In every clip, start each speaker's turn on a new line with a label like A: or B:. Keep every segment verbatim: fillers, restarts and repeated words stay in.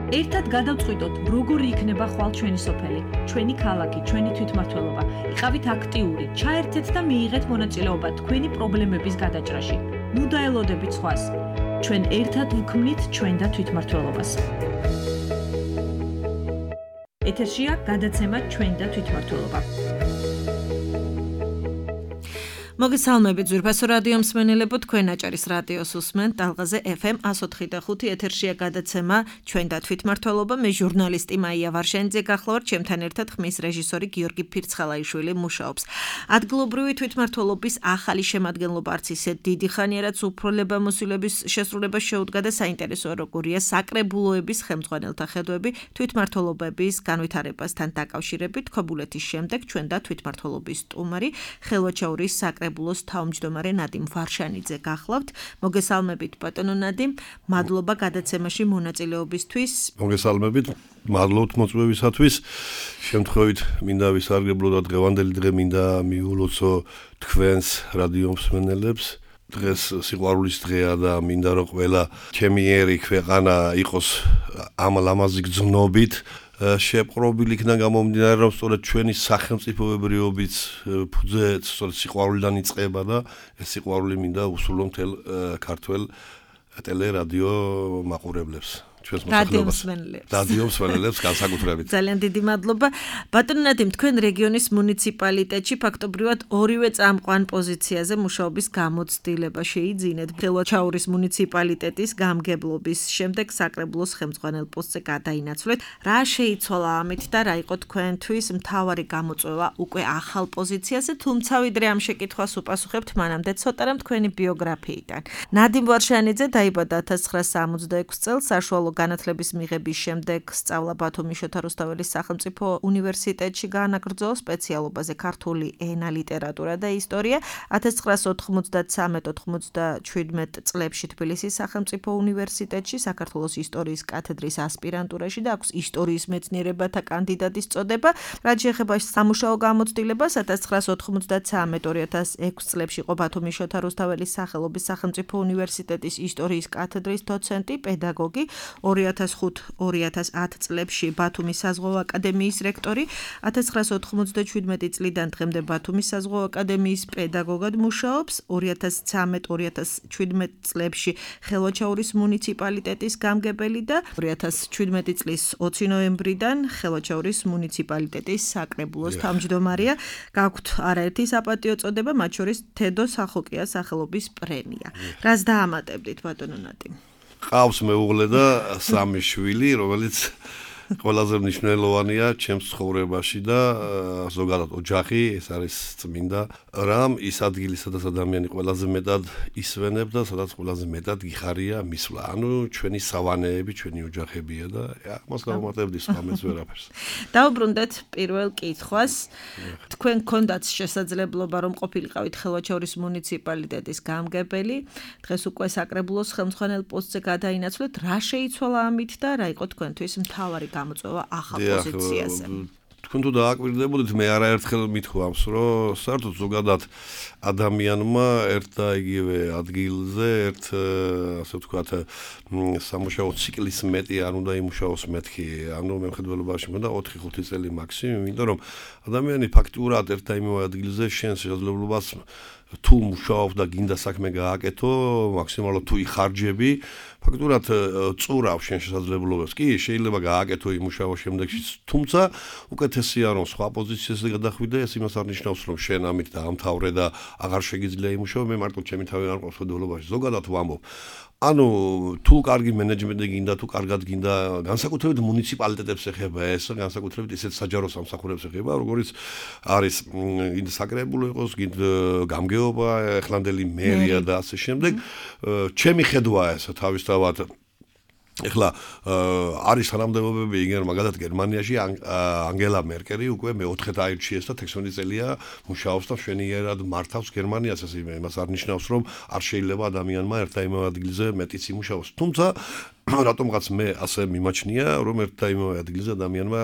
A: ერთად გადავწყვიტოთ, როგორი იქნება ხვალ ჩვენი სოფელი, ჩვენი ქალაქი, ჩვენი თვითმმართველობა. იყავით აქტიური, ჩაერთეთ და მიიღეთ მონაწილეობა თქვენი პრობლემების გადაჭრაში. ნუ დაელოდებით სხვას. ჩვენ ერთად ვქმნით ჩვენ და თვითმმართველობას. ეთერშია გადაცემა ჩვენ და თვითმმართველობა.
B: მოგესალმებით ძვირფასო რადიო მსმენელებო, თქვენ აჭარის რადიოს უსმენთ ტალღაზე ეფ ემ one oh three point five ეთერშია გადაცემა ჩვენ და თვითმმართველობა. მე ჟურნალისტი მაია ვარშენიძე გახლავართ, ჩემთან ერთად ხმის რეჟისორი გიორგი ფირცხალაიშვილი მუშაობს. ადგილობრივი თვითმმართველობის ახალი შემადგენლობა არც ისე დიდი ხანია, რაც უფლებამოსილების შესრულებას შეუდგა და საინტერესოა როგორია საკრებულოების ხელმძღვანელთა ხედვები თვითმმართველობების განვითარებასთან დაკავშირებით. ქობულეთის შემდეგ ჩვენ და თვითმმართველობის სტუმარი ხელვაჩაურის საკრებულოს ბულოს თავმჯდომარე ნადიმ ვარშანიძე გახლავთ. მოგესალმებით ბატონო ნადიმ, მადლობა გადაცემაში მონაწილეობისთვის.
C: მოგესალმებით, მადლობთ მოწვევისათვის. შემთხვევით მინდა ვისარგებლო და დღევანდელი დღე მინდა მიულოცო თქვენს რადიო მსმენელებს. დღეს სიყვარულის დღეა და მინდა რომ ყველა ჩემი ერი ქვეყანა იყოს ამ ლამაზი გრძნობით შეპყრობილი იქნა გამომდინარე რომ სწორედ ჩვენი სახელმწიფოებრიობის ფუძე სწორედ სიყვარულიდან იწყება და ეს სიყვარული მინდა უსულო მთელ ქართველ ტელერადიო მაყურებლებს.
B: რადიო მსმენელებს.
C: რადიო მსმენელებს განსაკუთრებით.
B: ძალიან დიდი მადლობა. ბატონო ნადიმ, თქვენ რეგიონის მუნიციპალიტეტში ფაქტობრივად ორივე წამყვან პოზიციაზე მუშაობის გამოცდილება შეიძინეთ. ხელვაჩაურის მუნიციპალიტეტის გამგებლობის შემდეგ საკრებულოს ხელმძღვანელ პოსტზე გადაინაცვლეთ. რა შეიცვალა ამით და რა იყო თქვენთვის მთავარი გამოწვევა უკვე ახალ პოზიციაზე, თუმცა ვიდრე ამ შეკითხვას უპასუხებთ, მანამდე ცოტა რამ თქვენი ბიოგრაფიიდან. ნადიმ ვარშანიძე დაიბადა one thousand nine hundred sixty-six წელს საშუალო განათლების მიღების შემდეგ სწავლა ბათუმის შოთა რუსთაველის სახელმწიფო უნივერსიტეტში გაანაგრძო სპეციალობაზე ქართული ენა, ლიტერატურა და ისტორია. one thousand nine hundred ninety-three ninety-seven წლებში თბილისის სახელმწიფო უნივერსიტეტში საქართველოს ისტორიის კათედრის ასპირანტურაში და აქვს ისტორიის მეცნიერებათა კანდიდატის წოდება. რაც შეეხება სამუშაო გამოცდილებას, one thousand nine hundred ninety-three two thousand six წლებში იყო ბათუმის შოთა რუსთაველის სახელობის სახელმწიფო უნივერსიტეტის ისტორიის კათედრის დოცენტი, პედაგოგი. two thousand five two thousand ten წლებში ბათუმის საზღვაო აკადემიის რექტორი, one thousand nine hundred ninety-seven წლიდან დღემდე ბათუმის საზღვაო აკადემიის პედაგოგად მუშაობს, two thousand thirteen two thousand seventeen წლებში ხელვაჩაურის მუნიციპალიტეტის გამგებელი და two thousand seventeen წლის ოცი ნოემბრიდან ხელვაჩაურის მუნიციპალიტეტის საკრებულოს თავმჯდომარეა. გაქვთ არაერთი საპატიო წოდება, მათ შორის თედო სახოკიას სახელობის პრემია. რას დაამატებდით ბატონო ნადიმ?
C: ყავს მეუღლე და სამი შვილი, რომელიც ყველაზე მნიშვნელოვანია ჩემს ცხოვრებაში და ზოგადად ოჯახი, ეს არის წმინდა რამ, ის ადგილი, სადაც ადამიანი ყველაზე მეტად ისვენებს და სადაც ყველაზე მეტად გიხარია მისვლა. ანუ ჩვენი სავანეები, ჩვენი ოჯახებია და ამას გავუმატებდი სხვამეც ვერაფერს.
B: დავუბრუნდეთ პირველ კითხვას. თქვენ გქონდათ შესაძლებლობა რომ ყოფილიყავით ხელვაჩაურის მუნიციპალიტეტის გამგებელი, დღეს უკვე საკრებულოს ხელმძღვანელ პოსტზე გადაინაცვლეთ. რა შეიცვალა ამით და რა იყო თქვენთვის მთავარი გამოწვევა ახალ პოზიციაზე?
C: თქვენ თუ დააკვირდებოდით, მე არაერთხელ მithქვამს, რომ საერთოდ ზოგადად ადამიანმა ერთ და იგივე ადგილზე, ერთ ასე ვთქვათ, სამუშაო ციკლის მეტი არ უნდა იმუშაოს მეთქი. ანუ მემხედველობაში მქონდა ოთხი ხუთი წელი მაქსიმუმ, იმიტომ რომ ადამიანი ფაქტურად ერთ და იმავე ადგილზე შენს შესაძლებლობას თუ მუშაობ და გინდა საქმე გააკეთო, მაქსიმალურად თუ იხარჯები, ფაქტურად წურავ შენ შესაძლებლობებს. კი, შეიძლება გააკეთო იმუშაო შემდეგში, თუმცა უკეთესია რომ სხვა პოზიციაზე გადახვიდე, ეს იმას არ ნიშნავს რომ შენ ამით დაამთავრე და აღარ შეგიძლია იმუშაო. მე მარტო ჩემი თავი არ მყავს მხედველობაში. ზოგადად ვამბობ. ანუ თუ კარგი მენეჯმენტი გინდა, თუ კარგად გინდა, განსაკუთრებით მუნიციპალიტეტებს ეხება ეს, განსაკუთრებით ისეთ საჯარო სამსახურებს ეხება, როგორც არის გინდა საკრებულო იყოს, გინდა გამგეობა, ახლანდელი მერია და ასე შემდეგ. ჩემი ხედვაა ეს თავისთავად ეხლა არის თანამდებობები იგივე მაგალითად გერმანიაში ანგელა მერკელი უკვე მეოთხედ აირჩიეს და თექვსმეტი წელია მუშაობს და მშვენიერად მართავს გერმანიას, ეს იმას არ ნიშნავს რომ არ შეიძლება ადამიანმა ერთ და იმავე ადგილზე მეტიც იმუშაოს. თუმცა რატომღაც მე ასე მიმაჩნია, რომ ერთ და იმავე ადგილზე ადამიანმა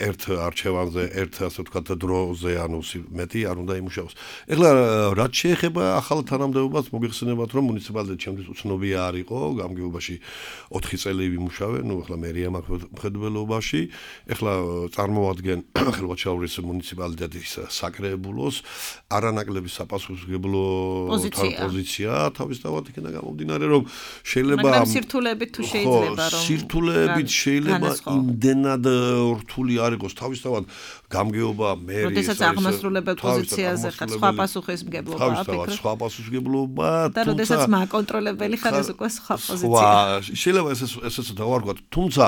C: ერთ არჩევანზე, ერთ ასე ვთქვათ დროზე, ანუ მეტი არ უნდა იმუშაოს. ეხლა რაც შეეხება ახალ თანამდებობას, მოგეხსენებათ, რომ მუნიციპალიტეტი ჩემთვის უცნობია არ იყო, გამგეობაში ოთხი წელი ვიმუშავე, ნუ ეხლა მერია მაქვს მხედველობაში, ეხლა წარმოვადგენ ხელვაჩაურის მუნიციპალიტეტის საკრებულოს არანაკლები საპასუხისმგებლო პოზიცია, თავისთავად იქნება გამომდინარე, რომ შეიძლება
B: მაგრამ სირთულებით თუ შეიძლება რომ
C: სირთულებით შეიძლება იმდენად რთული არ იყოს თავისთავად გამგეობა მერიის
B: როდესაც აღმასრულებელ პოზიციაზე ხარ სხვა პასუხისმგებლობა
C: თავისთავად სხვა პასუხისმგებლობა
B: და როდესაც მაკონტროლებელი ხარ ეს უკვე სხვა პოზიცია
C: შეიძლება ეს ესეც დავარქვათ თუმცა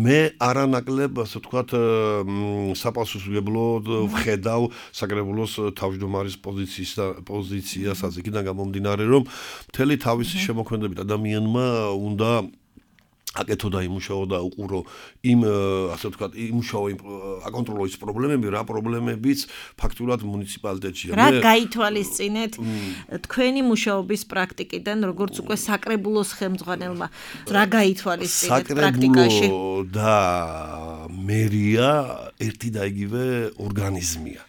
C: მე არანაკლებ ასე ვთქვათ საპასუხისმგებლოდ ვხედავ საკრებულოს თავმჯდომარის პოზიციის და პოზიციასაც იქიდან გამომდინარე რომ მთელი თავისი შემოქმედებით ადამიანმა უნდა აკეთო და იმუშაო და უყურო იმ ასე ვთქვათ იმუშაო იმ აკონტროლო ის პრობლემები რა პრობლემებიც ფაქტურად მუნიციპალიტეტშია
B: რა გაითვალისწინეთ თქვენი მუშაობის პრაქტიკიდან როგორც უკვე საკრებულოს ხელმძღვანელმა რა გაითვალისწინეთ პრაქტიკაში
C: საკრებულო და მერია ერთი და იგივე ორგანიზმია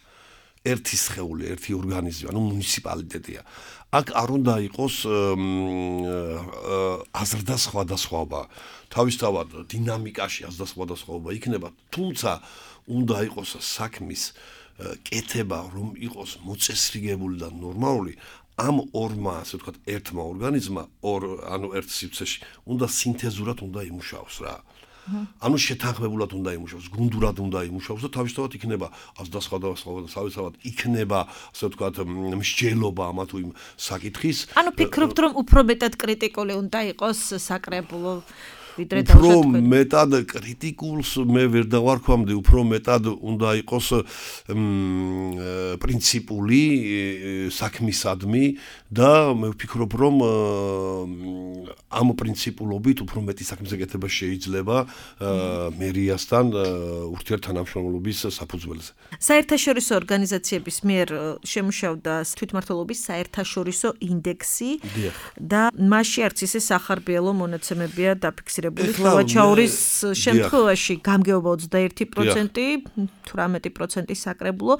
C: ერთი სხეული ერთი ორგანიზმი ანუ მუნიციპალიტეტია აქ არ უნდა იყოს აზრდა სხვადასხვაობა თავისთავად დინამიკაში აზრდა სხვადასხვაობა იქნება თუმცა უნდა იყოს საქმის კეთება რომ იყოს მოწესრიგებული და ნორმალური ამ ორმა ასე ვთქვათ ერთმა ორგანიზმმა ორ ანუ ერთ სივრცეში უნდა სინთეზურად უნდა იმუშაოს რა ანუ შეთანხმებულად უნდა იმუშაოს, გუნდურად უნდა იმუშაოს და თავისთავად იქნება აზრდა სხვადასხვა და თავისთავად იქნება, ასე ვთქვათ, მსჯელობა ამა თუ იმ საკითხის.
B: ანუ ფიქრობთ, რომ უფრო მეტად კრიტიკული უნდა იყოს საკრებულო ვიდრე
C: უფრო მეტად კრიტიკულს მე ვერ დავარქვამდი, უფრო მეტად უნდა იყოს პრინციპული საქმისადმი და მე ვფიქრობ, რომ ამ პრინციპულობით უფრო მეტი საქმის გაკეთება შეიძლება მერიასთან ურთიერთთანამშრომლობის საფუძველზე.
B: საერთაშორისო ორგანიზაციების მიერ შემუშავდა თვითმმართველობის საერთაშორისო ინდექსი და მასში არც ისე სახარბიელო მონაცემებია დაფიქსირებული. ხელვაჩაურის შემთხვევაში გამგეობა ოცდაერთი პროცენტი, თვრამეტი პროცენტი საკრებულო.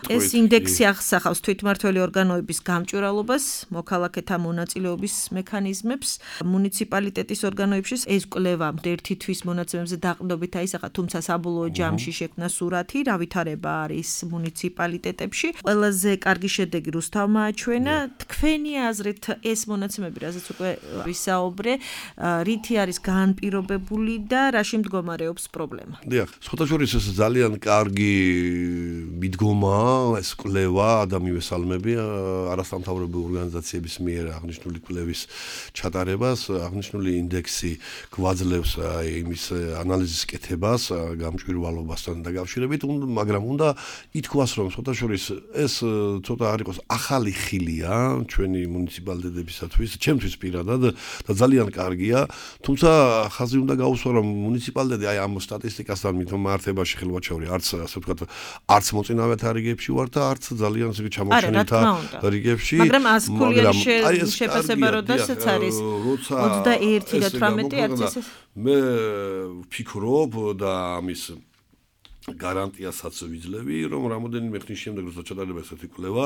B: ეს ინდექსი აღსახავს თვითმმართველი ორგანოების გამჭვირვალობას, მოქალაქეთა მონაწილეობის მექანიზმებს, მუნიციპალიტეტის ორგანოებში ეს კვლევა ერთი თვის მონაცემებზე დაყრდნობით აისახა, თუმცა საბოლოო ჯამში შექმნა სურათი, რა ვითარება არის მუნიციპალიტეტებში. ყველაზე კარგი შედეგი რუსთავმა აჩვენა. თქვენი აზრით ეს მონაცემები, რაზეც უკვე ვისაუბრე, რითი არის განპირობებული და რაში მდგომარეობს პრობლემა?
C: დიახ, სხვათაშორის ეს ძალიან კარგი მიდგომაა, ეს კვლევა და მივესალმები არასამთავრობო ორგანიზაციების მიერ აღნიშნული კვლევის ჩატარებას, აღნიშნული ინდექსი გვაძლევს იმის ანალიზის კეთებას, გამჭვირვალობასთან დაკავშირებით, მაგრამ უნდა ითქვას, რომ სხვათაშორის ეს ცოტა არ იყოს ახალი ხილია ჩვენი მუნიციპალიტეტებისათვის, ჩემთვის პირადად და ძალიან კარგია, თუმცა ხაზი უნდა გაუსვა, რომ მუნიციპალიტეტი აი ამ სტატისტიკასთან მართებაში ხელვაჩაური არც ასე ვთქვათ, არც მოწინავეთა რიგებში ვარ და არც ძალიან ისე ჩამოჩენილთა რიგებში,
B: მაგრამ ასკულიანი შეფასება როდესაც არის ოცდაერთი და თვრამეტი არც ისე
C: მე ვფიქრობ და ამის გარანტიასაც ვიძლევი, რომ რამოდენიმე ხნის შემდეგ როცა ჩატარდება ესეთი კვლევა,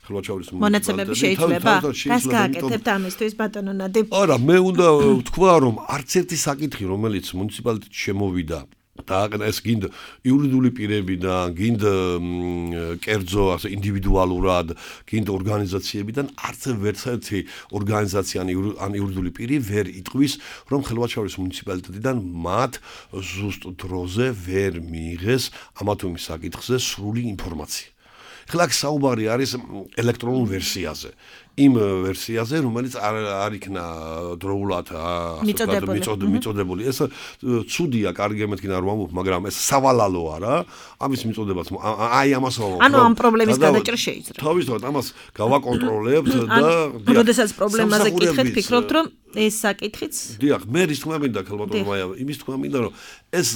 C: ხელვაჩაურის
B: მონაცემები შეიძლება? რას გააკეთებთ ამისთვის, ბატონო ნადიმ?
C: არა, მე უნდა ვთქვა, რომ არც ერთი საკითხი, რომელიც მუნიციპალიტეტში შემოვიდა და ეს გინდა იურიდიული პირებიდან, გინდა კერძო, ასე ინდივიდუალურად, გინდა ორგანიზაციებიდან არც ერთერთი ორგანიზაცია ან იურიდიული პირი ვერ იტყვის, რომ ხელვაჩაურის მუნიციპალიტეტიდან მათ ზუსტ დროზე ვერ მიიღეს ამა თუ იმ საკითხზე სრული ინფორმაცია. ახლა აქ საუბარი არის ელექტრონულ ვერსიაზე. იმ ვერსიაზე, რომელიც არ არ იქნა დროულად მიწოდებული. ეს ცუდია, კარგი მეთქინა რომ ამბობ, მაგრამ ეს სავალალო არა. ამის მიწოდებაც აი ამას ვამბობ.
B: ანუ ამ პრობლემის გადაჭრა შეიძლება.
C: თავისთავად ამას გავაკონტროლებთ და
B: როდესაც პრობლემაზე კითხეთ, ფიქრობთ, რომ ეს საკითხიც?
C: დიახ, მე რის თქმა მინდა ქალბატონო მაია, იმის თქმა მინდა, რომ ეს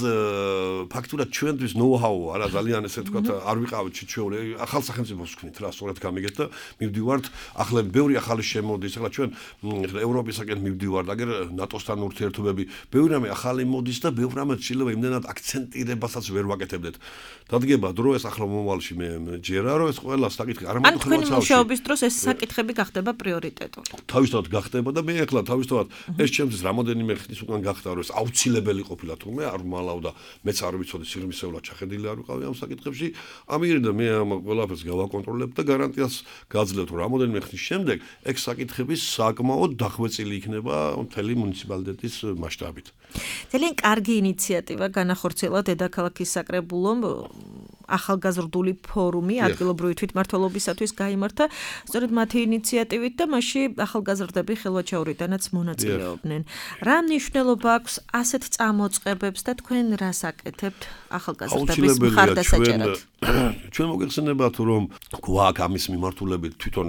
C: ფაქტურად ჩვენთვის ნოუ-ჰაუ არა ძალიან ესე თქვა არ ვიყავით შეჩეული ახალ სახელმწიფოს ვქნით რა სწორად გამიგეთ და მივდივართ ახლები ახალგაზრდები ბევრი ახალი შემოდის, ახლა ჩვენ ევროპისაკენ მივდივართ, აგერ ნატოსთან ურთიერთობები, ბევრი რამე ახალი მოდის და ბევრი რამე შეიძლება იმდენად აქცენტირებასაც ვერ ვაკეთებდეთ. დადგება დრო ეს ახლა მომავალში მე ჯერა რომ ეს ყველა საკითხი არ
B: ანუ თქვენი მუშაობის დროს ეს საკითხები გახდება პრიორიტეტული.
C: თავისთავად გახდება და მე ახლა თავისთავად ეს ჩემთვის რამოდენიმე ხნის უკან გახდა რომ ეს აუცილებელი ყოფილა თუმე არ მალავდა მეც არ ვიცოდი სიღრმისეულად ჩახედილი არ ვიყავი ამ საკითხებში. ამიერიდან მე ამ ყველაფერს გავაკონტროლებ და გარანტიას გაძლევთ რომ რამოდენიმე ხნის შემდეგ ეგ საკითხები საკმაოდ დახვეწილი იქნება მთელი მუნიციპალიტეტის მასშტაბით.
B: ძალიან კარგი ინიციატივა განახორციელა დედაქალაქის საკრებულომ ახალგაზრდული ფორუმი ადგილობრივი თვითმმართველობისათვის გაიმართა სწორედ მათი ინიციატივით და მასში ახალგაზრდები ხელვაჩაურიდანაც მონაწილეობდნენ. რა მნიშვნელობა აქვს ასეთ წამოწყებებს და თქვენ რას აკეთებთ ახალგაზრდების მხარდასაჭერად?
C: ჩვენ მოგეხსენებათ რომ გვაქვს ამის მიმართულებით თვითონ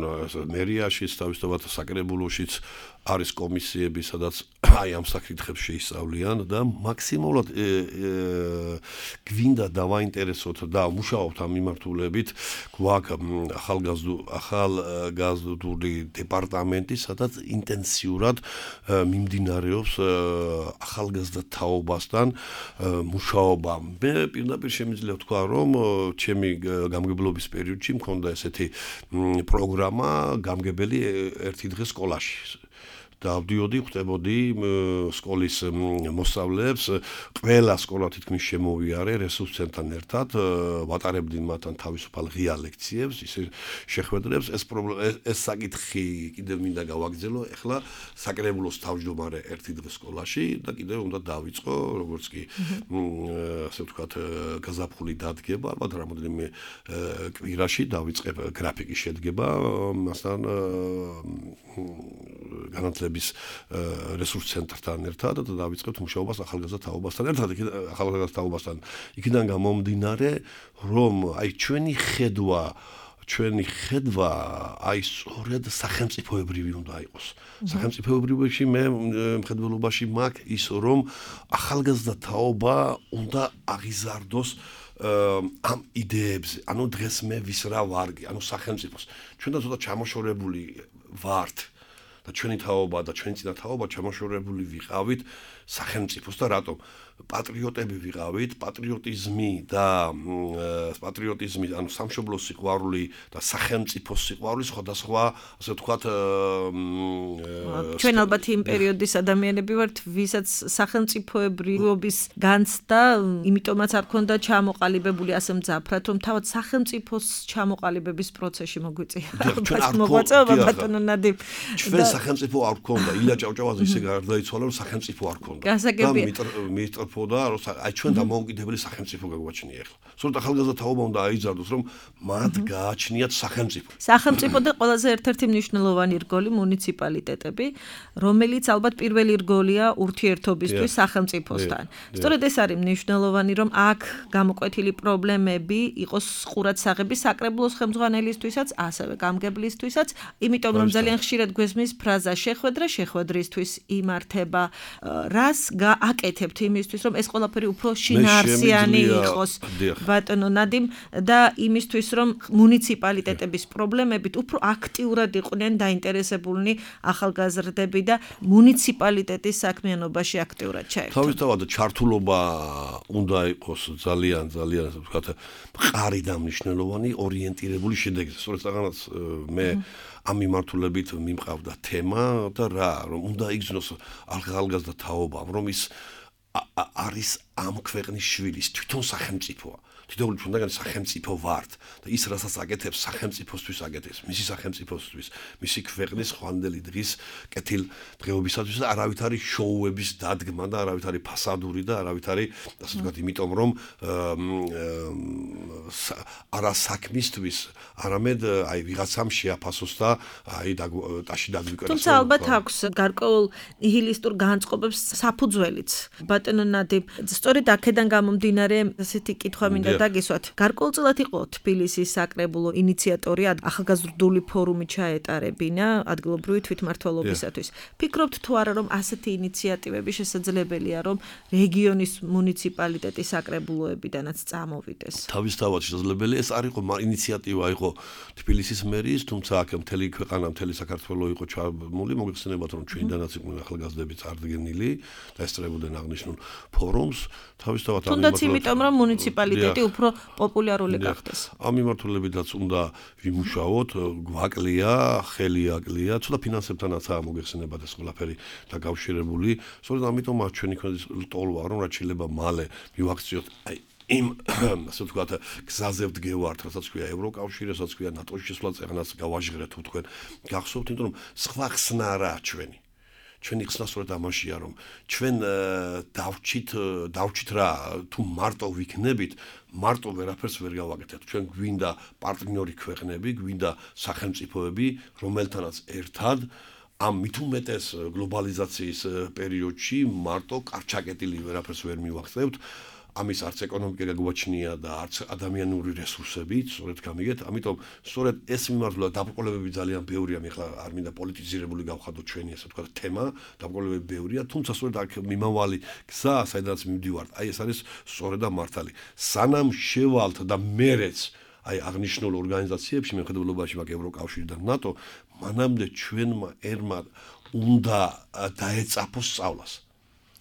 C: მერიაშიც თავისთავად საკრებულოშიც არის კომისიები, სადაც აი ამ საკითხებს შეისწავლიან და მაქსიმალურად გვინდა დავაინტერესოთ და მუშაობთ ამ მიმართულებით. გვაქვს ახალგაზრდული დეპარტამენტი, სადაც ინტენსიურად მიმდინარეობს ახალგაზრდა თაობასთან მუშაობა. მე პირდაპირ შემიძლია ვთქვა, რომ ჩემი გამგებლობის პერიოდში მქონდა ესეთი პროგრამა გამგებელი ერთი დღე სკოლაში. დავდიოდი, ხვდებოდი სკოლის მოსწავლეებს, ყველა სკოლა თითქმის შემოვიარე რესურს ცენტრთან ერთად, ვატარებდი მათთან თავისუფალ ღია ლექციებს, ისე შეხვედრებს, ეს ეს საკითხი კიდევ მინდა გავაგრძელო, ეხლა საკრებულოს თავმჯდომარე ერთი დღე სკოლაში და კიდევ უნდა დავიწყო, როგორც კი ასე ვთქვათ, გაზაფხული დადგება, ალბათ რამოდენიმე კვირაში დავიწყებ გრაფიკის შედგება, მასთან განათლების რესურს ცენტრთან ერთად და დავიწყებთ მუშაობას ახალგაზრდა თაობასთან ერთად, ახალგაზრდა თაობასთან. იქიდან გამომდინარე, რომ აი ჩვენი ხედვა, ჩვენი ხედვა აი სწორედ სახელმწიფოებრივი უნდა იყოს. სახელმწიფოებრივში მე მხედველობაში მაქვს ის, რომ ახალგაზრდა თაობა უნდა აღიზარდოს ამ იდეებზე. ანუ დღეს მე ვის რა ვარგი, ანუ სახელმწიფოს. ჩვენ და ცოტა ჩამოშორებული ვართ. და ჩვენი თაობა და ჩვენი წინა თაობა ჩამოშორებული ვიყავით სახელმწიფოს და რატომ პატრიოტები ვიყავით, პატრიოტიზმი და პატრიოტიზმი, ანუ სამშობლოს სიყვარული და სახელმწიფოს სიყვარული სხვადასხვა, ასე ვთქვათ,
B: ჩვენ ალბათ იმ პერიოდის ადამიანები ვართ, ვისაც სახელმწიფოებრიობის განცდა, იმიტომაც არ ქონდა ჩამოყალიბებული ასე მძაფრად, რომ თავად სახელმწიფოს ჩამოყალიბების პროცესში მოგვიწია. მოღვაწეობა ბატონო ნადიმ.
C: ჩვენ სახელმწიფო არ ქონდა, ილია ჭავჭავაძე ისე გარდაიცვალა, რომ სახელმწიფო არ ქონდა. და და რომ აი ჩვენ დამოუკიდებელი სახელმწიფო გაგვაჩნია ახლა. სწორედ ახალგაზრდა თაობა უნდა აიძარდოს, რომ მათ გააჩნიათ სახელმწიფო.
B: სახელმწიფო და ყველაზე ერთ-ერთი მნიშვნელოვანი რგოლი მუნიციპალიტეტები, რომელიც ალბათ პირველი რგოლია ურთიერთობისთვის სახელმწიფოსთან. სწორედ ეს არის მნიშვნელოვანი, რომ აქ გამოკვეთილი პრობლემები იყოს ყურადსაღები საკრებულოს ხელმძღვანელისთვისაც, ასევე გამგებლისთვისაც, იმიტომ რომ ძალიან ხშირად გვესმის ფრაზა შეხვედრა შეხვედრისთვის იმართება, რას გააკეთებთ იმისთვის, რომ ეს ყველაფერი უფრო შინაარსიანი იყოს ბატონო ნადიმ და იმისთვის რომ მუნიციპალიტეტების პრობლემებით უფრო აქტიურად იყვნენ დაინტერესებულნი ახალგაზრდები და მუნიციპალიტეტის საქმიანობაში აქტიურად ჩაერთონ.
C: თავისთავად ჩართულობა უნდა იყოს ძალიან ძალიან ასე ვთქვათ მყარი და მნიშვნელოვანი ორიენტირებული შედეგზე. სწორედ საღანაც მე ამ მიმართულებით მიმყავდა თემა და რა რომ უნდა იგრძნოს ახალგაზრდა თაობა, რომ ის არის ამ ქვეყნის შვილის თვითონ სახელმწიფოა. თითოეული ჩვენგან სახელმწიფო ვართ და ის რასაც აკეთებს სახელმწიფოსთვის აკეთებს, მისი სახელმწიფოსთვის, მისი ქვეყნის ხვანდელი დღის კეთილ დღეობისათვის და არავით არის შოუების დადგმა და არავით არის ფასადური და არავით არის ასე ვთქვათ, იმიტომ რომ არა საქმისთვის, არამედ აი ვიღაცამ შეაფასოს და აი ტაში დაგვიკეროს.
B: თუმცა ალბათ აქვს გარკვეულ ნიჰილისტურ განწყობებს საფუძველიც. ბატონო ნადიმ, სწორედ აქედან გამომდინარე, ასეთი კითხვა მინდა დაგისვათ. გარკვეულწილად იყო თბილისის საკრებულო ინიციატორი ახალგაზრდული ფორუმი ჩაეტარებინა ადგილობრივი თვითმმართველობისათვის. ფიქრობთ თუ არა რომ ასეთი ინიციატივები შესაძლებელია რომ რეგიონის მუნიციპალიტეტის საკრებულოებიდანაც წამოვიდეს?
C: თავისთავად შესაძლებელია. ეს არ იყო ინიციატივა იყო თბილისის მერის, თუმცა აქ მთელი ქვეყანა, მთელი საქართველო იყო ჩამული, მოგეხსენებათ რომ ჩვენიდანაც იყვნენ ახალგაზრდები წარდგენილი და ესწრებოდნენ აღნიშნულ ფორუმს. თავისთავად ამ
B: თუნდაც იმიტომ რომ მუნიციპალიტეტი უფრო პოპულარული გახდეს.
C: ამ მიმართულებითაც უნდა ვიმუშაოთ, გვაკლია, ხელი აკლია, ცოტა ფინანსებთანაცაა მოგეხსენებათ ეს ყველაფერი დაკავშირებული. სწორედ ამიტომ ჩვენი ქვეყნის ტოლვა რომ რაც შეიძლება მალე მივაქციოთ აი იმ ასე ვთქვათ გზაზე ვდგევართ, რასაც ქვია ევროკავშირი, რასაც ქვია ნატოში შესვლა, წეგნას გავაჟღერეთ თუ თქვენ გახსოვთ, იმიტომ რომ სხვა ხსნა არაა ჩვენი. ჩვენი ხსნა სწორედ ამაშია, რომ ჩვენ დავჭით, დავჭით რა, თუ მარტო ვიქნებით, მარტო ვერაფერს ვერ გავაკეთებთ. ჩვენ გვინდა პარტნიორი ქვეყნები, გვინდა სახელმწიფოები, რომელთანაც ერთად ამ მით უმეტეს გლობალიზაციის პერიოდში მარტო კარჩაკეტილი ვერაფერს ვერ მივახცევთ. ამის არც ეკონომიკა გაგვაჩნია და არც ადამიანური რესურსები, სწორედ გამიგეთ, ამიტომ სწორედ ეს მიმართულება დაბრკოლებები ძალიან ბევრია, მე ხლა არ მინდა პოლიტიზირებული გავხადოთ ჩვენი ასე ვთქვათ თემა, დაბრკოლებები ბევრია, თუმცა სწორედ აქ მიმავალი გზა, საიდანაც მივდივართ, აი ეს არის სწორედ და მართალი. სანამ შევალთ და მერეც აი აღნიშნულ ორგანიზაციებში, მეხედველობაში მაგ ევროკავშირი და ნატო, მანამდე ჩვენმა ერმა უნდა დაეწაფოს სწავლას.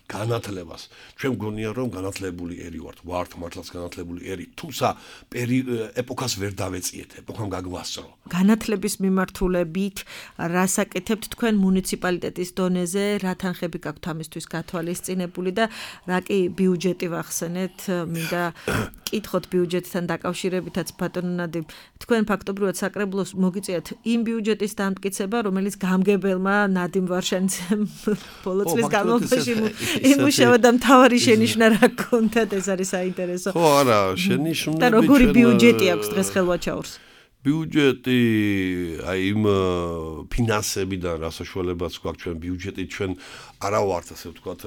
C: განათლებას. ჩვენ გონია რომ განათლებული ერი ვართ, ვართ მართლაც განათლებული ერი, თუმცა ეპოქას ვერ დავეწიეთ, ეპოქამ გაგვასწრო.
B: განათლების მიმართულებით რასაკეთებთ თქვენ მუნიციპალიტეტის დონეზე, რა თანხები გაქვთ ამისთვის გათვალისწინებული და რა კი ბიუჯეტი ვახსენეთ, მინდა კითხოთ ბიუჯეტთან დაკავშირებითაც ბატონო ნადიმ, თქვენ ფაქტობრივად საკრებულოს მოგიწიათ იმ ბიუჯეტის დამტკიცება, რომელიც გამგებელმა ნადიმ ვარშანიძემ ბოლო წლის განმავლობაში იმუშავა და მთავარი შენიშვნა რა გქონდათ, ეს არის საინტერესო.
C: ხო, არა, შენიშვნები
B: და როგორი ბიუჯეტი აქვს დღეს ხელვაჩაურს?
C: ბიუჯეტი აი იმ ფინანსებიდან რა საშუალებაც გვაქვს ჩვენ ბიუჯეტი ჩვენ არა ვართ ასე ვთქვათ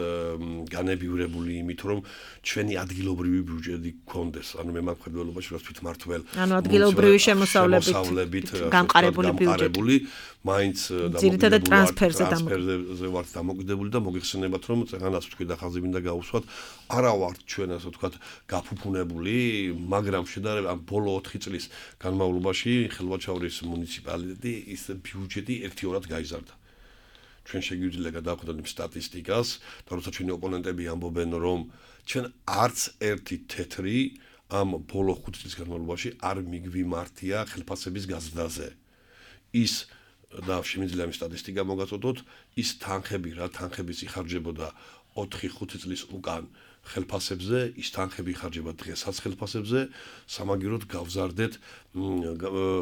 C: განებივრებული იმით რომ ჩვენი ადგილობრივი ბიუჯეტი გქონდეს. ანუ მე მაგხედველობაში რაც თვითმართველ
B: ანუ ადგილობრივი შემოსავლებით გამყარებული ბიუჯეტი
C: მაინც
B: ძირითადად ტრანსფერზე
C: ვართ დამოკიდებული და მოგეხსენებათ რომ წეგანას ვთქვი და ხაზი მინდა გაუსვათ არა ვართ ჩვენ ასე ვთქვათ გაფუფუნებული, მაგრამ შედარებით ამ ბოლო ოთხი წლის განმავლობაში ხელვაჩაურის მუნიციპალიტეტი ის ბიუჯეტი ერთიორად გაიზარდა. ჩვენ შეგვიძლია გადავხედოთ იმ სტატისტიკას და როცა ჩვენი ოპონენტები ამბობენ რომ ჩვენ არც ერთი თეთრი ამ ბოლო ხუთი წლის განმავლობაში არ მიგვიმართია ხელფასების გაზრდაზე. ის და შემიძლია იმ სტატისტიკა მოგაწოდოთ, ის თანხები რა თანხების იხარჯებოდა ოთხი ხუთი წლის უკან ხელფასებზე, ის თანხები იხარჯება დღესაც ხელფასებზე, სამაგიეროდ გავზარდეთ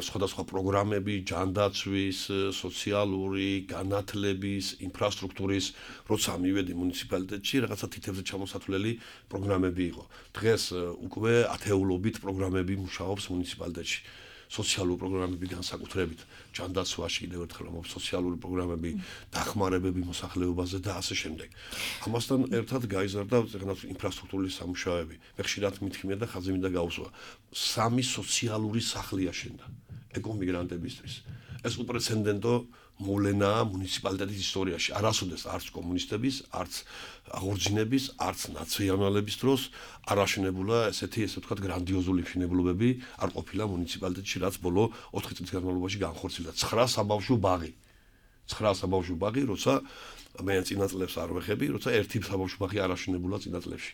C: სხვადასხვა პროგრამები, ჯანდაცვის, სოციალური, განათლების, ინფრასტრუქტურის, როცა მივედი მუნიციპალიტეტში, რაღაცა თითებზე ჩამოსათვლელი პროგრამები იყო. დღეს უკვე ათეულობით პროგრამები მუშაობს მუნიციპალიტეტში. სოციალური პროგრამები განსაკუთრებით ჯანდაცვაში კიდევ ერთხელ ამბობ სოციალური პროგრამები, დახმარებები მოსახლეობაზე და ასე შემდეგ. ამასთან ერთად გაიზარდა ზოგადად ინფრასტრუქტურის სამუშაოები. მე ხშირად მithქმია და ხაზი მინდა გაუსვა. სამი სოციალური სახლი აშენდა ეკომიგრანტებისთვის. ეს უპრეცედენტო მოვლენაა მუნიციპალიტეტის ისტორიაში. არასოდეს არც კომუნისტების, არც აღორძინების, არც ნაციონალების დროს არ აშენებულა ესეთი ესე ვთქვათ გრანდიოზული მშენებლობები არ ყოფილა მუნიციპალიტეტში, რაც ბოლო ოთხი წლის განმავლობაში განხორციელდა. ცხრა საბავშვო ბაღი. ცხრა საბავშვო ბაღი, როცა მე წინა წლებს არ ვეხები, როცა ერთი საბავშვო ბაღი არ აშენებულა წინა წლებში.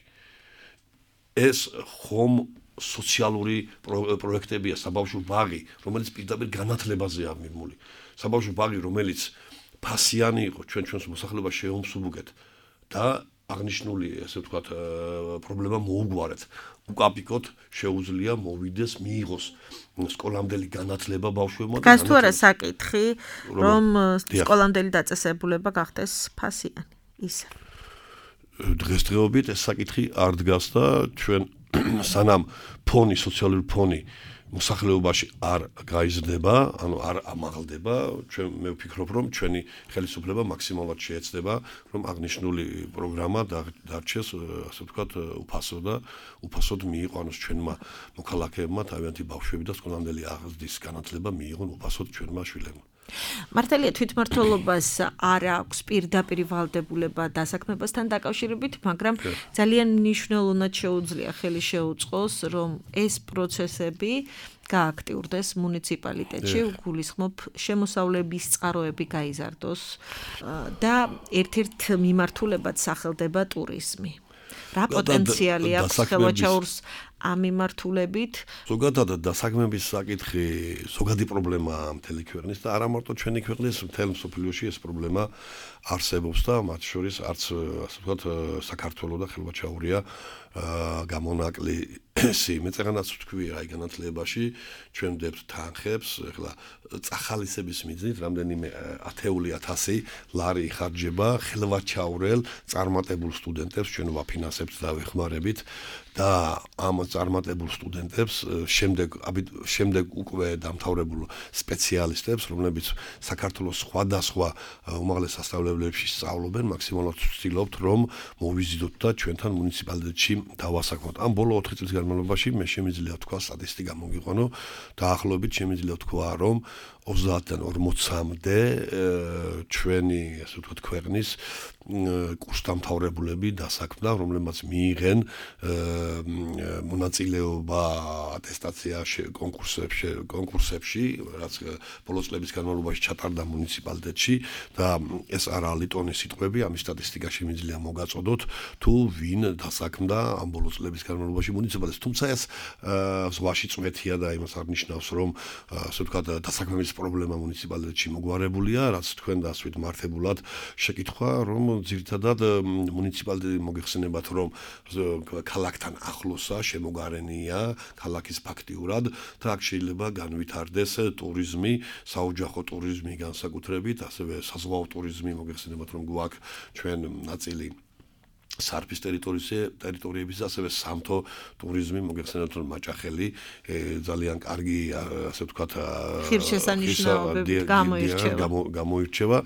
C: ეს ხომ სოციალური პროექტებია, საბავშვო ბაღი, რომელიც პირდაპირ განათლებაზეა მიმული. საბავშვო ბაღი, რომელიც ფასიანი იყო, ჩვენ ჩვენს მოსახლეობას შეუმსუბუქეთ და აღნიშნული, ასე ვთქვათ, პრობლემა მოუგვარეთ. უკაპიკოდ შეუძლია მოვიდეს, მიიღოს სკოლამდელი განათლება ბავშვებმა.
B: გას თუ არა საკითხი, რომ სკოლამდელი დაწესებულება გახდეს ფასიანი. ისე.
C: დღესდღეობით ეს საკითხი არ დგას და ჩვენ სანამ ფონი, სოციალური ფონი მოსახლეობაში არ გაიზრდება, ანუ არ ამაღლდება, ჩვენ მე ვფიქრობ, რომ ჩვენი ხელისუფლება მაქსიმალურად შეეცდება, რომ აღნიშნული პროგრამა დარჩეს, ასე ვთქვათ, უფასო და უფასოდ მიიყვანოს ჩვენმა მოქალაქეებმა, თავიანთი ბავშვები და სკოლამდელი აღზრდის განათლება მიიღონ უფასოდ ჩვენმა შვილებმა.
B: მართალია თვითმმართველობას არ აქვს პირდაპირ ვალდებულება დასაქმებასთან დაკავშირებით, მაგრამ ძალიან მნიშვნელოვნად შეუძლია ხელი შეუწყოს, რომ ეს პროცესები გააქტიურდეს მუნიციპალიტეტში, გულისხმობ შემოსავლების წყაროები გაიზარდოს და ერთ-ერთ მიმართულებად სახელდება ტურიზმი. რა პოტენციალი აქვს ხელვაჩაურს ამ მიმართულებით?
C: ზოგადად დასაქმების საკითხი ზოგადი პრობლემაა მთელი ქვეყნის და არა მარტო ჩვენი ქვეყნის, მთელ მსოფლიოში ეს პრობლემა არსებობს და მათ შორის არც ასე ვთქვათ საქართველოს და ხელვაჩაურია გამონაკლი მე წეგანაც ვთქვი აი განათლებაში ჩვენ ვდებთ თანხებს, ეხლა წახალისების მიზნით რამდენიმე ათეული ათასი ლარი იხარჯება ხელვაჩაურელ წარმატებულ სტუდენტებს ჩვენ ვაფინანსებთ და ვეხმარებით და ამ წარმატებულ სტუდენტებს შემდეგ შემდეგ უკვე დამთავრებულ სპეციალისტებს, რომლებიც საქართველოს სხვადასხვა უმაღლეს სასწავლებლებში სწავლობენ, მაქსიმალურად ვცდილობთ რომ მოვიზიდოთ და ჩვენთან მუნიციპალიტეტში დავასაქმოთ. ამ ბოლო ოთხი წლის განმავლობაში მე შემიძლია თქვა სტატისტიკა მოგიყვანო, დაახლოებით შემიძლია თქვა რომ ოცდაათიდან ორმოცამდე ჩვენი ასე ვთქვათ ქვეყნის კურსდამთავრებულები დასაქმდა, რომლებმაც მიიღენ მონაწილეობა ატესტაციაში, კონკურსებში, კონკურსებში, რაც ბოლო წლების განმავლობაში ჩატარდა მუნიციპალიტეტში და ეს არა ლიტონის სიტყვები, ამის სტატისტიკა შემიძლია მოგაწოდოთ, თუ ვინ დასაქმდა ამ ბოლო წლების განმავლობაში მუნიციპალიტეტში. თუმცა ეს ზღვაში წვეთია და იმას არ ნიშნავს, რომ ასე ვთქვათ დასაქმების პრობლემა მუნიციპალიტეტში მოგვარებულია, რაც თქვენ დასვით მართებულად შეკითხვა, რომ ძირითადად მუნიციპალიტეტი მოგეხსენებათ, რომ ქალაქთან ახლოსა შემოგარენია ქალაქის ფაქტიურად და აქ შეიძლება განვითარდეს ტურიზმი, საოჯახო ტურიზმი განსაკუთრებით, ასევე საზღვაო ტურიზმი მოგეხსენებათ, რომ გვაქვს ჩვენ ნაწილი სარფის ტერიტორიების და ასევე სამთო ტურიზმი მოგეხსენებათ, რომ მაჭახელი ძალიან კარგი ასე ვთქვათ
B: ღირსშესანიშნაობებით
C: გამოირჩევა.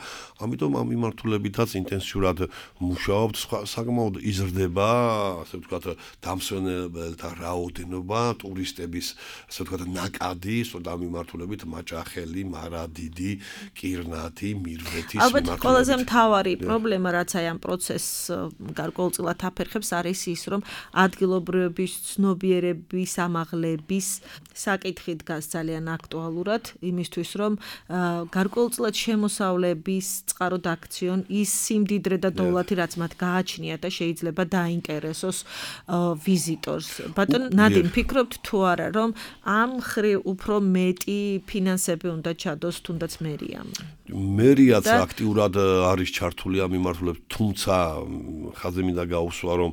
C: ამიტომ ამ მიმართულებითაც ინტენსიურად მუშაობთ, საკმაოდ იზრდება ასე ვთქვათ დამსვენებელთა რაოდენობა, ტურისტების ასე ვთქვათ ნაკადი, სწორედ ამ მიმართულებით მაჭახელი, მარადიდი, კირნათი, მირვეთის
B: მიმართულებით. ალბათ ყველაზე მთავარი პრობლემა, რაც აი ამ პროცესს გარკვეულწილად აფერხებს, არის ის, რომ ადგილობრივების ცნობიერების ამაღლების საკითხი დგას ძალიან აქტუალურად, იმისთვის, რომ გარკვეულწილად შემოსავლების წყარო დაქციონ ის სიმდიდრე და დოვლათი, რაც მათ გააჩნია და შეიძლება დაინტერესოს ვიზიტორს. ბატონ ნადიმ, ფიქრობთ თუ არა, რომ ამ მხრივ უფრო მეტი ფინანსები უნდა ჩადოს თუნდაც მერიამ?
C: მერიაც აქტიურად არის ჩართული ამ მიმართულებით, თუმცა ხაზი მინდა გაუსვა, რომ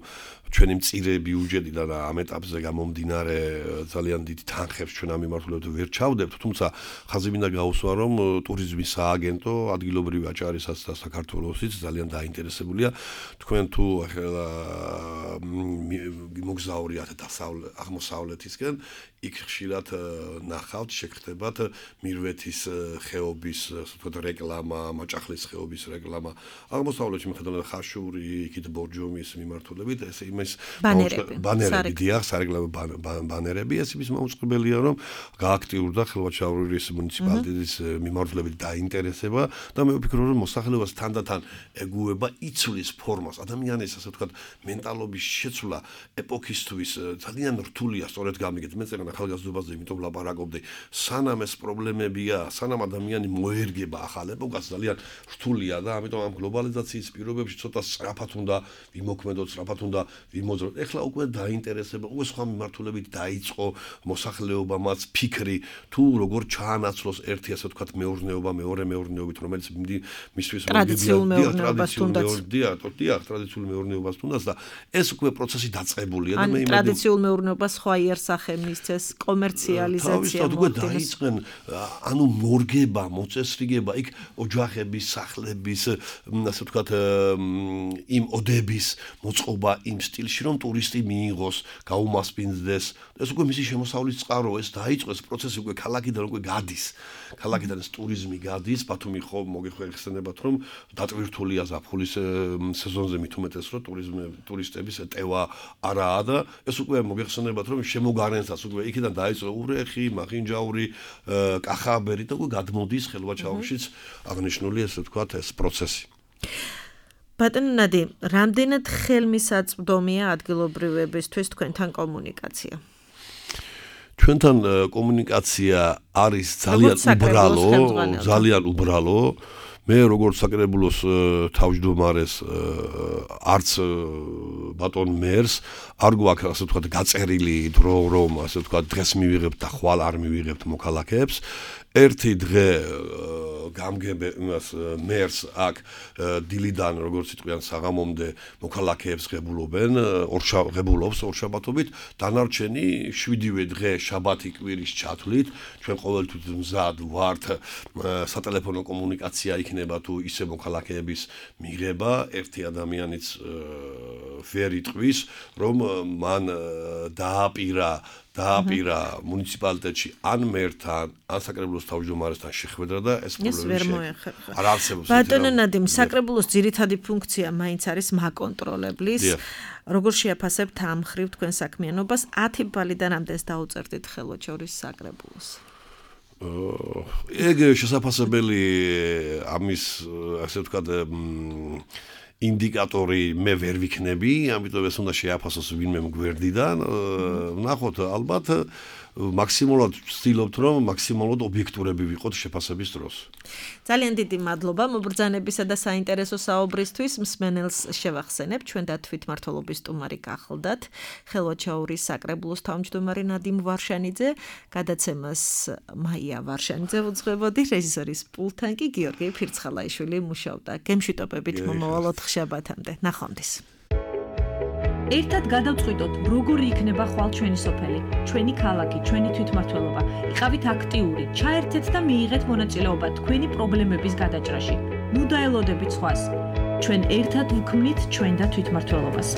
C: ჩვენი მწირე ბიუჯეტიდან ამ ეტაპზე გამომდინარე ძალიან დიდი თანხებს ჩვენ ამ მიმართულებით ვერ ჩავდებთ, თუმცა ხაზი მინდა გაუსვა, რომ ტურიზმის სააგენტო ადგილობრივი აჭარისაც და საქართველოსიც ძალიან დაინტერესებულია. თქვენ თუ მოგზაურიათ აღმოსავლეთისკენ, იქ ხშირად ნახავთ, შეგხვდებათ მირვეთის ხეობის, ასე ვთქვათ, რეკლამა, მაჭახლის ხეობის რეკლამა. აღმოსავლეთში მიხედავთ ხაშური, იქით ბორჯომის მიმართულებით, ეს იმის ბანერები, დიახ, სარეკლამო ბანერები, ეს იმის მაუწყებელია, რომ გააქტიურდა ხელვაჩაურის მუნიციპალიტეტის მიმართულებით დაინტერესება და მე ვფიქრობ, რომ მოსახლეობას თანდათან ეგუება იცვლის ფორმას, ადამიანის, ასე ვთქვათ, მენტალობის შეცვლა ეპოქისთვის ძალიან რთულია, სწორედ გამიგეთ. მე წეგან ახალგაზრდობაზე იმიტომ ვლაპარაკობდი, სანამ ეს პრობლემებია, სანამ ადამიანი მოერგება ახალ ეპოქას, ძალიან რთულია და ამიტომ ამ გლობალიზაციის პირობებში ცოტა სწრაფად უნდა ვიმოქმედოთ, სწრაფად უნდა ვიმოძრაოთ. ეხლა უკვე დაინტერესება, უკვე სხვა მიმართულებით დაიწყო მოსახლეობამაც ფიქრი, თუ როგორ ჩაანაცვლოს ერთი ასე ვთქვათ მეურნეობა, მეორე მეურნეობით, რომელიც მისთვის
B: ტრადიციულ მეურნეობას თუნდაც.
C: დიახ, ტრადიციულ მეურნეობას თუნდაც და ეს უკვე პროცესი დაწყებულია და
B: მე იმედი ტრადიციულ მეურნეობას სხვა იერსახე მისცეს კომერციალიზაცია
C: თავისთავად უკვე დაიწყენ ანუ მორგება მოწესრიგება იქ ოჯახების სახლების ასე ვთქვათ იმ ოდების მოწყობა იმ სტილში რომ ტურისტი მიიღოს გაუმასპინძდეს ეს უკვე მისი შემოსავლის წყარო ეს დაიწყეს პროცესი უკვე ქალაქიდან უკვე გადის ქალაქიდან ეს ტურიზმი გადის ბათუმი ხო მოგეხსენებათ რომ დატვირთულია ზაფხულის სეზონზე მით უმეტეს რომ ტურიზმი ტურისტების ტევა არაა და ეს უკვე მოგეხსენებათ რომ შემოგარენსაც უკვე იქიდან დაიწყო ურეხი მახინჯაური კახაბერი და უკვე გადმოდის ხელვაჩაურშიც აღნიშნული ესე ვთქვათ ეს პროცესი
B: ბატონო ნადი რამდენად ხელმისაწვდომია ადგილობრივებისთვის თქვენთან კომუნიკაცია
C: ჩვენთან კომუნიკაცია არის ძალიან უბრალო ძალიან უბრალო მე როგორც საკრებულოს თავმჯდომარეს არც ბატონ მერს არ გვაქვს ასე ვთქვათ გაწერილი დრო რომ ასე ვთქვათ დღეს მივიღებთ და ხვალ არ მივიღებთ მოქალაქეებს ერთი დღე გამგებე იმას მერს აქ დილიდან როგორც იტყვიან საღამომდე მოქალაქეებს ღებულობენ ორშაბათობით ორშაბათობით დანარჩენი შვიდივე დღე შაბათი კვირის ჩათვლით ჩვენ ყოველთვის მზად ვართ სატელეფონო კომუნიკაცია იქნება თუ ისე მოქალაქეების მიღება ერთი ადამიანიც ვერ იტყვის რომ მან დააპირა დააპირა მუნიციპალიტეტში ან მერთან, ან საკრებულოს თავმჯდომარესთან შეხვედრა და ეს პრობლემები არ არსებობს.
B: ბატონო ნადიმ, საკრებულოს ძირითადი ფუნქცია მაინც არის მაკონტროლებლის. როგორ შეაფასებთ ამ ხრივ თქვენ საქმიანობას? ათი ბალიდან რამდენს დაუწერდით ხელვაჩაურის საკრებულოს?
C: ეგ შესაძლებელი ამის ასე ვთქვათ ინდიკატორი მე ვერ ვიქნები, ამიტომ ეს უნდა შეაფასოს ვინმე მგვერდიდან. ვნახოთ, ალბათ მაქსიმალურად ვცდილობთ, რომ მაქსიმალურად ობიექტურები ვიყოთ შეფასების დროს.
B: ძალიან დიდი მადლობა მობრძანებისა და საინტერესო საუბრისთვის. მსმენელს შევახსენებ, ჩვენ და თვითმმართველობის სტუმარი გახლდათ ხელვაჩაურის საკრებულოს თავმჯდომარე ნადიმ ვარშანიძე, გადაცემას მაია ვარშანიძე უძღვებოდი, რეჟისორის პულტთან კი გიორგი ფირცხალაიშვილი მუშაობდა. გემშვიდობებით მომავალ ოთხშაბათამდე. ნახვამდის.
A: ერთად გადავწყვიტოთ, როგორი იქნება ხვალ ჩვენი სოფელი, ჩვენი ქალაქი, ჩვენი თვითმმართველობა. იყავით აქტიური, ჩაერთეთ და მიიღეთ მონაწილეობა თქვენი პრობლემების გადაჭრაში. ნუ დაელოდებით სხვას. ჩვენ ერთად ვქმნით ჩვენ და თვითმმართველობას.